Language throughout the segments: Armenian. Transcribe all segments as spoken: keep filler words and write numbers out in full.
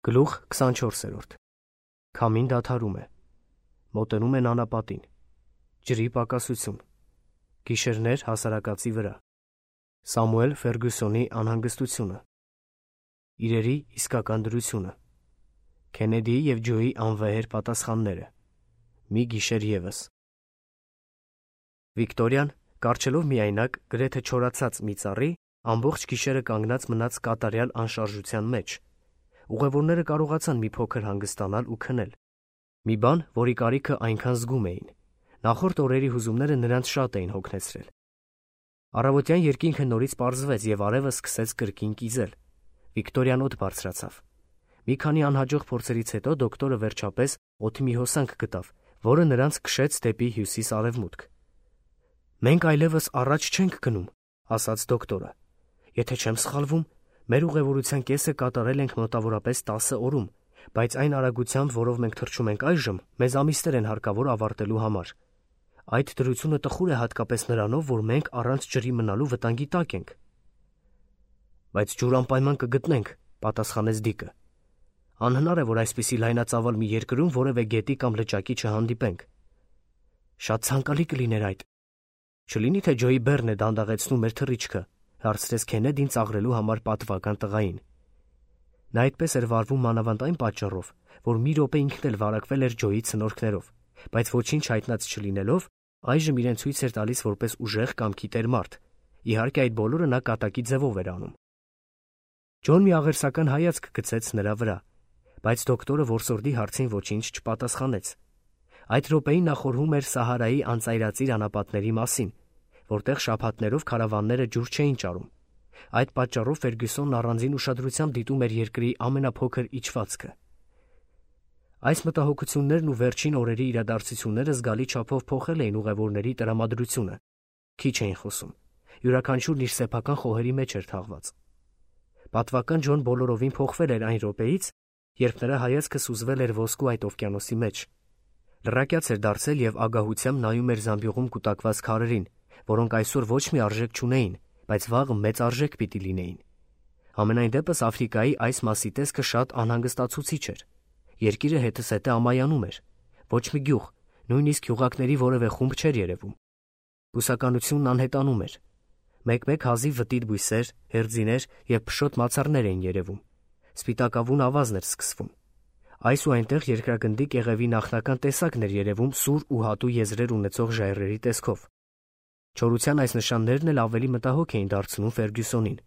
Գլուխ քսանչորսերորդ Քամին դադարում է, մոտենում են անապատին, ջրի պակասություն, գիշերներ հասարակածի վրա, Սամուել Ֆերգյուսոնի անհանգստությունը, իրերի իսկական դրությունը, Քենեդիի և Ջոյի անվեհեր պատասխանները, մի գիշեր ևս։ Վիկտորիան, կառչելով միայնակ, գրեթե չորացած մի ծառի, ամբողջ գիշերը կանգնած մնաց կատարյալ անշարժության մեջ։ Ուղևորները կարողացան մի փոքր հանգստանալ ու քնել։ Մի բան, որի կարիքը այնքան զգում էին։ Նախորդ օրերի հուզումները նրանց շատ էին հոգնեցրել։ Առավոտյան երկինքը նորից պարզվեց և արևը սկսեց կրկին կիզել։ Վիկտորիան օդ բարձրացավ։ Մի քանի անհաջող փորձերից հետո դոկտորը վերջապես օդի մի հոսանք գտավ, որը նրանց քշեց դեպի հյուսիս-արևմուտք։ «Մենք այլևս առաջ չենք գնում», ասաց դոկտորը։ «Եթե չեմ սխալվում, մեր ուղևորության կեսը կատարել ենք մոտավորապես տասը օրում, բայց այն արագությամբ, որով մենք թռչում ենք այժմ, մեզ ամիսներ են հարկավոր ավարտելու համար։ Այդ դրությունը տխուր է հատկապես նրանով, որ մենք առանց ջրի մնալու վտանգի տակ ենք»։ «Բայց ջուր անպայման կգտնենք», պատասխանեց Դիկը։ «Անհնար է, որ այսպիսի լայնածավալ մի երկրում որևէ գետի կամ լճակի չհանդիպենք»։ «Շատ ցանկալի կլիներ այդ։ Չլինի թե Ջոյի բեռն է դանդաղեցնում մեր թռիչքը», հարցրեց Քենեդին ծաղրելու համար պատվական տղային։ Նա այդպես էր վարվում մանավանդ այն պատճառով, որ մի րոպե ինքն էլ վարակվել էր Ջոյի ցնորքներով, բայց ոչինչ հայտնած չլինելով, այժմ իրեն ցույց էր տալիս որպես ուժեղ կամքի տեր մարդ։ Իհարկե այդ բոլորը նա կատակի ձևով էր անում։ Ջոն մի աղերսական հայացք գցեց նրա վրա, բայց դոկտորը որսորդի հարցին ոչինչ չպատասխանեց։ Այդ րոպեին նա խորհում էր Սահարայի անծայրածիր անապատների մասին, որտեղ շաբաթներով քարավանները ջուր չէին ճարում։ Այդ պատճառով Ֆերգյուսոնն առանձին ուշադրությամբ դիտում էր երկրի ամենափոքր իջվածքը։ Այս մտահոգություններն ու վերջին օրերի իրադարձությունները զգալի չափով փոխել էին ուղևորների տրամադրությունը։ Քիչ էին խոսում։ Յուրաքանչյուրն իր սեփական խոհերի մեջ էր թաղված։ Պատվական Ջոն բոլորովին փոխվել էր այն րոպեից, երբ նրա հայացքը սուզվել էր ոսկու այդ օվկիանոսի մեջ։ Լռակյաց էր դարձել և ագահությամբ նայում էր զամբյուղում կուտակված քարերին, որոնք այսօր ոչ մի արժեք չունեին, բայց վաղը մեծ արժեք պիտի լինեին։ Համենայն դեպս Աֆրիկայի այս մասի տեսքը շատ անհանգստացուցիչ էր։ Երկիրը հետզհետե ամայանում էր։ Ոչ մի գյուղ, նույնիսկ գյուղակների որևէ խումբ չէր երևում։ Բուսականությունն անհետանում էր։ Մեկ-մեկ հազիվ վտիտ բույսեր, հերձիներ և փշոտ մացառներ էին երևում։ Սպիտակավուն ավազն էր սկսվում։ Այս ու այնտեղ երկրագնդի կեղևի նախնական տեսակն էր երևում սուր ու հատու եզրեր ունեցող ժայռերի տեսքով։ Չորության այս նշաններն էլ ավելի մտահոգ էին դարձնում Ֆերգյուսոնին։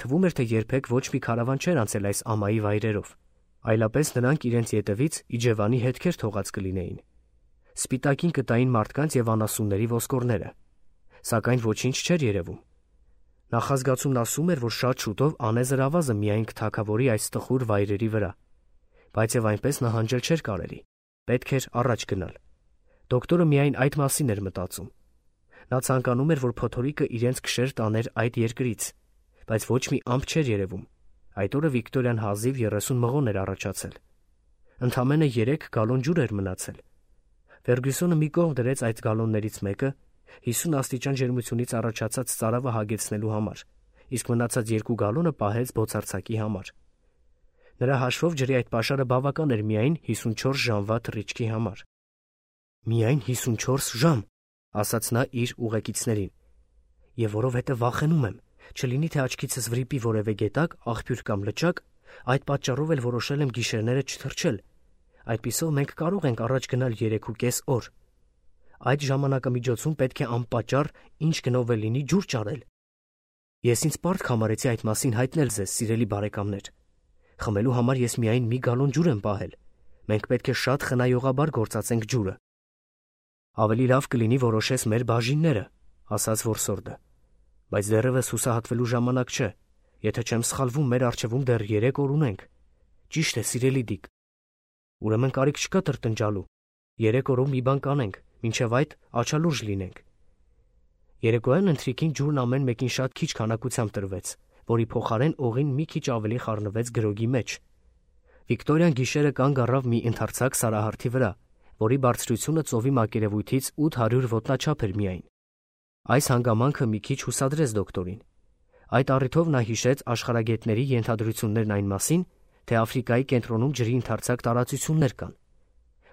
Թվում էր, թե երբեք ոչ մի քարավան չէր անցել այս ամայի վայրերով, այլապես նրանք իրենց ետևից իջևանի հետքեր թողած կլինեին։ Սպիտակին կտային մարդկանց և անասունների ոսկորները։ Սակայն ոչինչ չէր երևում։ Նախազգացումն ասում էր, որ շատ շուտով անեզր ավազը միայն կթագավորի այս տխուր վայրերի վրա։ Բայց և այնպես նահանջել չէր կարելի։ Պետք էր առաջ գնալ։ Դոկտորը միայն այդ մասին էր մտածում։ Նա ցանկանում էր, որ փոթորիկը իրենց քշեր տաներ այդ երկրից, բայց ոչ մի ամպ չէր երևում։ Այդ օրը Վիկտորիան հազիվ երեսուն մղոն էր առաջացել։ Ընդամենը երեք գալոն ջուր էր մնացել։ Ֆերգյուսոնը մի կողմ դրեց այդ գալոններից մեկը հիսուն աստիճան ջերմությունից առաջացած ծարավը հագեցնելու համար, իսկ մնացած երկու գալոնը պահեց բոցարձակի համար։ Նրա հաշվով ջրի այդ պաշարը բավական էր միայն հիսունչորս ժամվա թռիչքի համար։ «Միայն հիսունչորս ժամ», ասաց նա իր ուղեկիցներին։ «Եվ որովհետև վախենում եմ, չլինի թե աչքիցս վրիպի որևէ գետակ, աղբյուր կամ լճակ, այդ պատճառով էլ որոշել եմ գիշերները չթռչել։ Այդպիսով մենք կարող ենք առաջ գնալ երեքուկես օր։ Այդ ժամանակամիջոցում պետք է անպատճառ ինչ գնով էլ լինի ջուր ճարել։ Ես ինձ պարտք համարեցի այդ մասին հայտնել ձեզ, սիրելի բարեկամներ։ Խմելու համար ես միայն մի գալոն ջուր եմ պահել։ Մենք պետք է շատ խնայողաբար գործածենք ջուրը»։ «Ավելի լավ կլինի որոշես մեր բաժինները», ասաց որսորդը։ «Բայց դեռևս հուսահատվելու ժամանակ չէ։ Եթե չեմ սխալվում, մեր առջևում դեռ երեք օր ունենք»։ «Ճիշտ է, սիրելի Դիկ»։ «Ուրեմն կարիք չկա տրտնջալու։ Երեք օրով մի բան կանենք, մինչև այդ աչալուրջ լինենք»։ Երեկոյան ընթրիքին ջուրն ամեն մեկին շատ քիչ քանակությամբ տրվեց, որի փոխարեն օղին մի քիչ ավելի խառնվեց գրոգի մեջ։ Վիկտորիան գիշերը կանգ առավ մի ընդարձակ սարահարթի վրա, որի բարձրությունը ծովի մակերևույթից ութ հարյուր ոտնաչափ էր միայն։ Այս հանգամանքը մի քիչ հուսադրեց դոկտորին։ Այդ առիթով նա հիշեց աշխարհագետների ենթադրություններն այն մասին, թե Աֆրիկայի կենտրոնում ջրի ընդարձակ տարածություններ կան,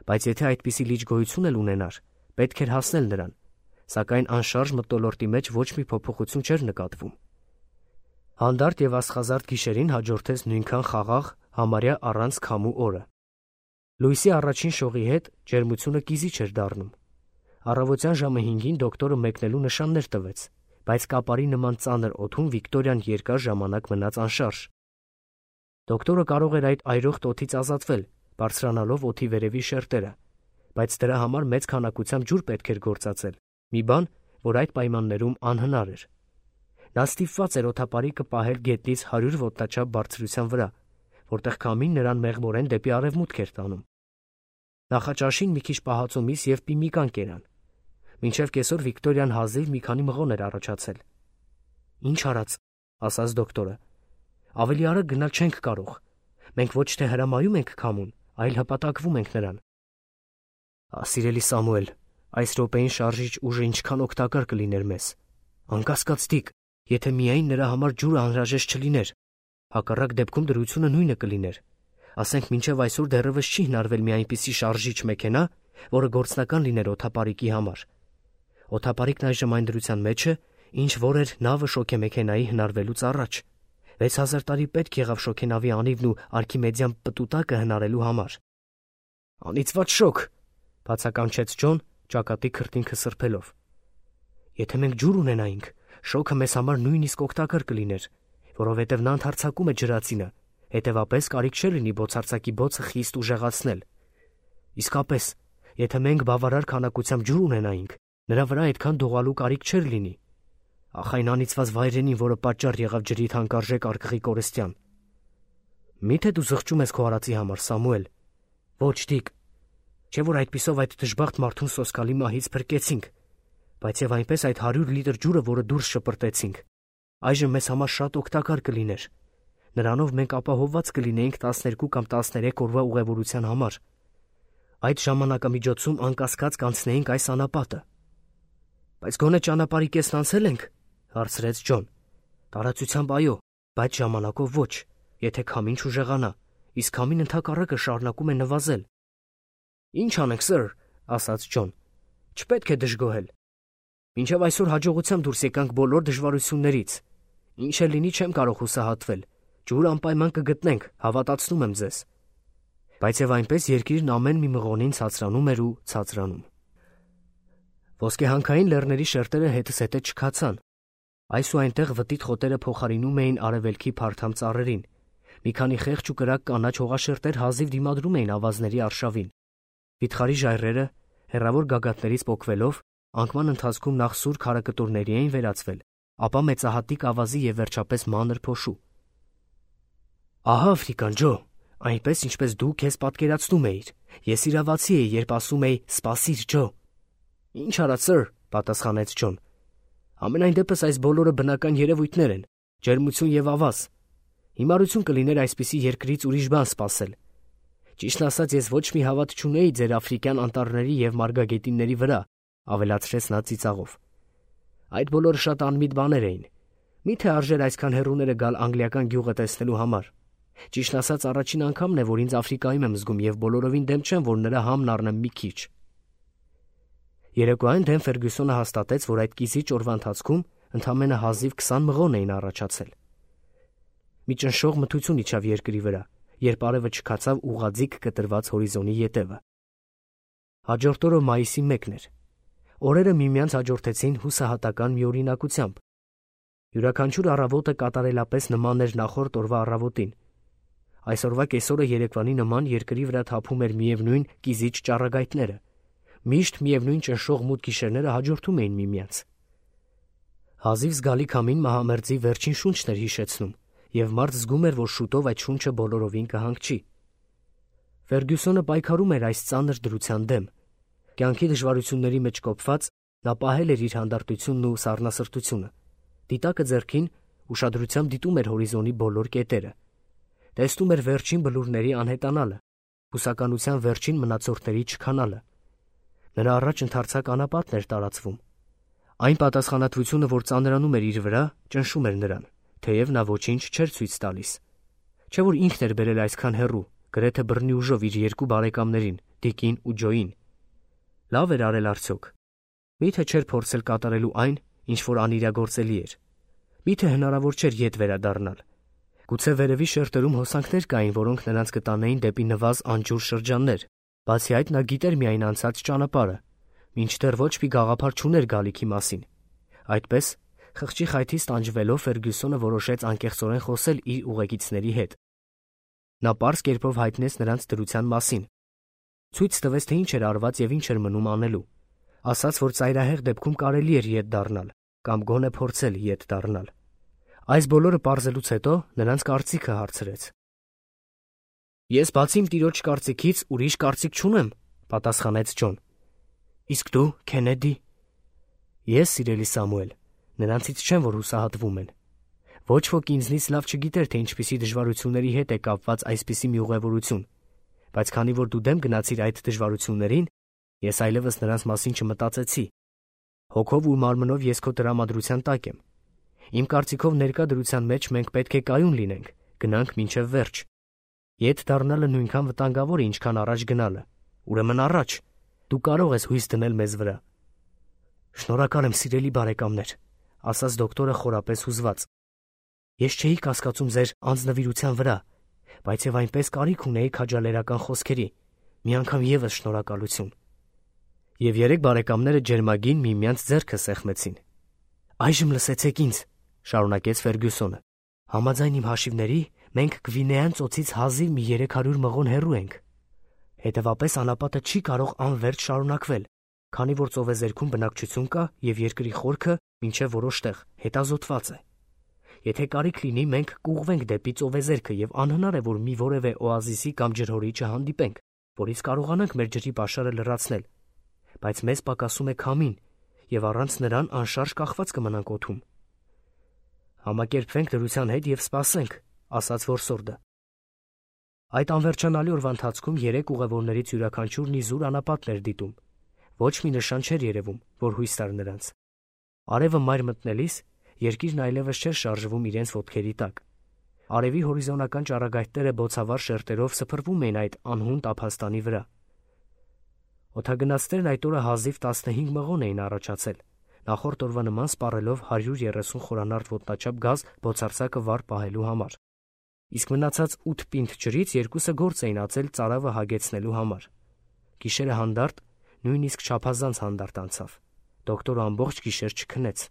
բայց եթե այդպիսի լիճ գոյություն էլ ունենար, պետք էր հասնել նրան, սակայն անշարժ մթնոլորտի մեջ ոչ մի փոփոխություն չէր նկատվում։ Հանդարտ եւ աստղազարդ գիշերին հաջորդեց նույնքան խաղաղ, համարյա առանց քամու օրը։ Լույսի առաջին շողի հետ ջերմությունը կիզիչ էր դառնում։ Առավոտյան ժամը հինգին դոկտորը մեկնելու նշաններ տվեց, բայց կապարի նման ծանր օդում Վիկտորիան երկար ժամանակ մնաց անշարժ։ Դոկտորը կարող էր այդ այրող օդից ազատվել, բարձրանալով օդի վերևի շերտերը, բայց դրա համար մեծ քանակությամբ ջուր պետք էր գործածել, մի բան, որ այդ պայմաններում անհնար էր։ Նա ստիպված էր օդապարիկը պահել գետնից հարյուր ոտնաչափ բարձրության վրա, որտեղ քամին նրան մեղմորեն դեպի արևմուտք էր տանում։ Նախաճաշին մի քիչ պահածոմիս և պիմիկան կերան։ Մինչև կեսօր Վիկտորիան հազիվ մի քանի մղոն էր առաջացել։ «Ինչ արած», ասաց դոկտորը, «ավելի արագ գնալ չենք կարող։ Մենք ոչ թե հրամայում ենք քամուն, այլ հպատակվում ենք նրան»։ «Սիրելի Սամուել, այս րոպեին շարժիչ ուժը ինչքան օգտակար կլիներ մեզ։ Անկասկած Դիկ, եթե միայն նրա համար ջուրը անհրաժեշտ չլիներ, հակառակ դեպքում դրությունը նույնը կլիներ։ Ասենք մինչև այսօր դեռևս չի հնարվել մի այնպիսի շարժիչ մեքենա, որը գործնական լիներ օդապարիկի համար։ Օդապարիկն այժմ այն դրության մեջ է, ինչ որ էր նավը շոգեմեքենայի հնարվելուց առաջ։ վեց հազար տարի պետք եղավ շոգենավի անիվն ու արքիմեդյան պտուտակը հնարելու համար։ «Անիծված շոգ», բացականչեց Ջոն, ճակատի քրտինքը սրբելով։ «Եթե մենք ջուր ունենայինք, շոգը մեզ համար նույնիսկ օգտակար կլիներ, որովհետև նա ընդարձակում է ջրածինը, հետևապես կարիք չէ լինի բոցարձակի բոցը խիստ ուժեղացնել։ Իսկապես, եթե մենք բավարար քանակությամբ ջուր ունենայինք, նրա վրա այդքան դողալու կարիք չէր լինի։ Ախ, այն անիծված վայրենին, որը պատճառ եղավ ջրի թանկարժեք արկղի կորստյան։ Մի՞թե դու զղջում ես քո արածի համար, Սամուել։ Ոչ, Դիկ, չէ՞ որ այդպիսով այդ դժբախտ մարդուն սոսկալի մահից փրկեցինք, բայց եւ այնպես այդ հարյուր լիտր ջուրը, որը դուրս շպրտեցինք, այժմ մեզ համար շատ օգտակար կլիներ։ Նրանով մենք ապահովված կլինեինք տասներկու կամ տասներեք օրվա ուղևորության համար։ Այդ ժամանակամիջոցում անկասկած կանցնեինք այս անապատը։ Բայց գոնե ճանապարհի կեսն անցել ենք, հարցրեց Ջոն։ Տարածությամբ այո, բայց ժամանակով ոչ, եթե քամին չուժեղանա, իսկ քամին ընդհակառակը շարունակում է նվազել։ Ինչ անենք, սըր, ասաց Ջոն, չպետք է դժգոհել։ Մինչև այսօր հաջողությամբ դուրս եկանք բոլոր դժվարություններից։ Ինչ էլ լինի, չեմ կարող հուսահատվել։ Ջուր անպայման կգտնենք, հավատացնում եմ ձեզ։ Բայց եւ այնպես երկիրն ամեն մի մղոնին ցածրանում էր ու ցածրանում։ Ոսկեհանքային լեռների շերտերը հետս հետե չքացան։ Այս ու այնտեղ վտիտ խոտերը փոխարինում էին արևելքի փարթամ ծառերին։ Մի քանի խեղճ ու կրակ կանաչ հողաշերտեր հազիվ դիմադրում էին ավազների արշավին։ Վիթխարի ժայռերը, հեռավոր գագաթներից պոկվելով, անկման ընթացքում նախ սուր քարակտորների էին վերածվել, ապա մեծահատիկ ավազի եւ վերջապես մանր փոշու։ Ահա Աֆրիկան, Ջո, այնպես ինչպես դու քեզ պատկերացնում էիր։ Ես իրավացի էի, երբ ասում էի «Սպասիր, Ջո»։ Ինչ արած, սըր, պատասխանեց Ջոն։ Ամենայն դեպս այս բոլորը բնական երևույթներ են, ջերմություն եւ ավազ։ Հիմարություն կլիներ այսպիսի երկրից ուրիշ բան սպասել։ Ճիշտն ասած, ես ոչ մի հավատ չունեի ձեր աֆրիկյան անտառների եւ մարգագետինների վրա, ավելացրեց նա ծիծաղով։ Այդ բոլորը շատ անմիտ բաներ էին։ Միթե արժեր այսքան հեռուները գալ անգլիական գյուղը տեսնելու համար։ Ճիշտն ասած, առաջին անգամն է, որ ինձ Աֆրիկայում եմ զգում եւ բոլորովին դեմ չեմ, որ նրա համն առնեմ մի քիչ։ Երեկոյան դեմ Ֆերգյուսոնը հաստատեց, որ այդ կիզիչ օրվա ընթացքում ընդամենը հազիվ քսան մղոն էին առաջացել։ Մի ճնշող մթություն իջավ երկրի վրա, երբ արևը չքացավ ուղղաձիգ կտրված հորիզոնի ետևը։ Հաջորդ օրը մայիսի մեկն էր։ Օրերը միմյանց հաջորդեցին հուսահատական մի օրինակությամբ։ Յուրաքանչյուր առավոտը կատարելապես նման էր նախորդ օրվա առավոտին։ Այսօրվա կեսօրը երեկվանի նման երկրի վրա թափում էր միևնույն կիզիչ ճառագայթները։ Միշտ միևնույն ճնշող մութ գիշերները հաջորդում էին միմյանց։ Հազիվ զգալի քամին մահամերձի վերջին շունչն էր հիշեցնում, եւ մարդ զգում էր, որ շուտով այդ շունչը բոլորովին կհանգչի։ Ֆերգյուսոնը պայքարում էր այս ծանր դրության դեմ։ Կյանքի դժվարությունների մեջ կոփված նա պահել էր իր հանդարտությունն ու սառնասրտությունը։ Դիտակը ձեռքին ուշադրությամբ դիտում էր հորիզոնի բոլոր կետերը։ Տեսնում էր վերջին բլուրների անհետանալը, հուսականության վերջին մնացորդների չքանալը։ Նրա առաջ ընդարձակ անապատն էր տարածվում։ Այն պատասխանատվությունը, որ ծանրանում էր իր վրա, ճնշում էր նրան, թեև նա ոչինչ չէր ցույց տալիս։ Չէ որ ինքն էր բերել այսքան հեռու, գրեթե բռնի ուժով իր երկու բարեկամներին, Դիկին ու Ջոյին։ Լավ էր արել արդյոք։ Միթե չէր փորձել կատարելու այն, ինչ որ անիրագործելի էր։ Միթե հնարավոր չէր ետ վերադառնալ։ Գուցե վերևի շերտերում հոսանքներ կային, որոնք նրանց կտանեին դեպի նվազ անջուր շրջաններ, բացի այդ նա գիտեր միայն անցած ճանապարհը, մինչդեռ ոչ մի գաղափար չուներ գալիքի մասին։ Այդպես, խղճի խայթից տանջվելով Ֆերգյուսոնը որոշեց անկեղծորեն խոսել իր ուղեկիցների հետ։ Նա պարզ կերպով հայտնեց նրանց դրության մասին։ Ցույց տվեց, թե ինչ էր արված եւ ինչ էր մնում անելու։ Ասաց, որ ծայրահեղ դեպքում կարելի էր ետ դառնալ, կամ գոնե փորձել ետ դառնալ։ Այս բոլորը պարզելուց հետո նրանց կարծիքը հարցրեց։ Ես բացի իմ տիրոջ կարծիքից ուրիշ կարծիք չունեմ, պատասխանեց Ջոն։ Իսկ դու, Քենեդի։ Ես, սիրելի Սամուել, նրանցից չեմ, որ հուսահատվում են։ Ոչ ոք ինձնից լավ չգիտեր, թե ինչպիսի դժվարությունների հետ է կապված այսպիսի մի ուղևորություն, բայց քանի որ դու դեմ գնացիր այդ դժվարություններին, ես այլևս նրանց մասին չմտածեցի։ Հոգով ու մարմնով ես քո տրամադրության տակ եմ։ Իմ կարծիքով ներկա դրության մեջ մենք պետք է կայուն լինենք, գնանք մինչև վերջ։ Ետ դառնալը նույնքան վտանգավոր է, ինչքան առաջ գնալը։ Ուրեմն առաջ, դու կարող ես հույս դնել մեզ վրա։ Շնորհակալ եմ, սիրելի բարեկամներ, ասաց դոկտորը խորապես հուզված։ Ես չէի կասկածում ձեր անձնվիրության վրա, բայց եւ այնպես կարիք ունեի քաջալերական խոսքերի։ Մի անգամ եւս շնորհակալություն։ Եվ երեք բարեկամները ջերմագին միմյանց ձեռքը սեղմեցին։ Այժմ լսեցեք ինձ, շարունակեց Ֆերգյուսոնը։ Համաձայն իմ հաշիվների, մենք Գվինեան ծոցից հազիվ մի երեք հարյուր մղոն հեռու ենք։ Հետևաբար անապատը չի կարող անվերջ շարունակվել, քանի որ ծովեզերքում բնակչություն կա եւ երկրի խորքը մինչեւ որոշ տեղ հետազոտված է։ Եթե կարիք լինի, մենք կուղվենք դեպի ծովեզերքը եւ անհնար է, որ մի որևէ օազիսի կամ ջրհորի չհանդիպենք, որից կարողանանք մեր ջրի պաշարը լրացնել, բայց մեզ պակասում է քամին եւ առանց նրան անշարժ կախված կմնանք օդում։ Համակերպվենք դրության հետ եւ սպասենք, ասաց որսորդը։ Այդ անվերջանալի օրվա ընթացքում երեք ուղևորներից յուրաքանչյուրն իզուր անապատն էր դիտում։ Ոչ մի նշան չէր երևում, որ հույս տար նրանց։ Արևը մայր մտնելիս երկիրն այլևս չէր շարժվում իրենց ոտքերի տակ։ Արևի հորիզոնական ճառագայթները բոցավառ շերտերով սփռվում էին այդ անհուն տափաստանի վրա։ Օդագնացներն այդ օրը հազիվ տասնհինգ մղոն էին առաջացել, նախորդ օրվա նման սպառելով հարյուր երեսուն խորանարդ ոտնաչափ գազ բոցարձակը վառ պահելու համար։ Իսկ մնացած ութ պինդ ջրից երկուսը գործ էին ածել ծարավը հագեցնելու համար։ Գիշերը հանդարտ, նույնիսկ չափազանց հանդարտ անցավ։ Դոկտորը ամբողջ գիշեր չքնեց։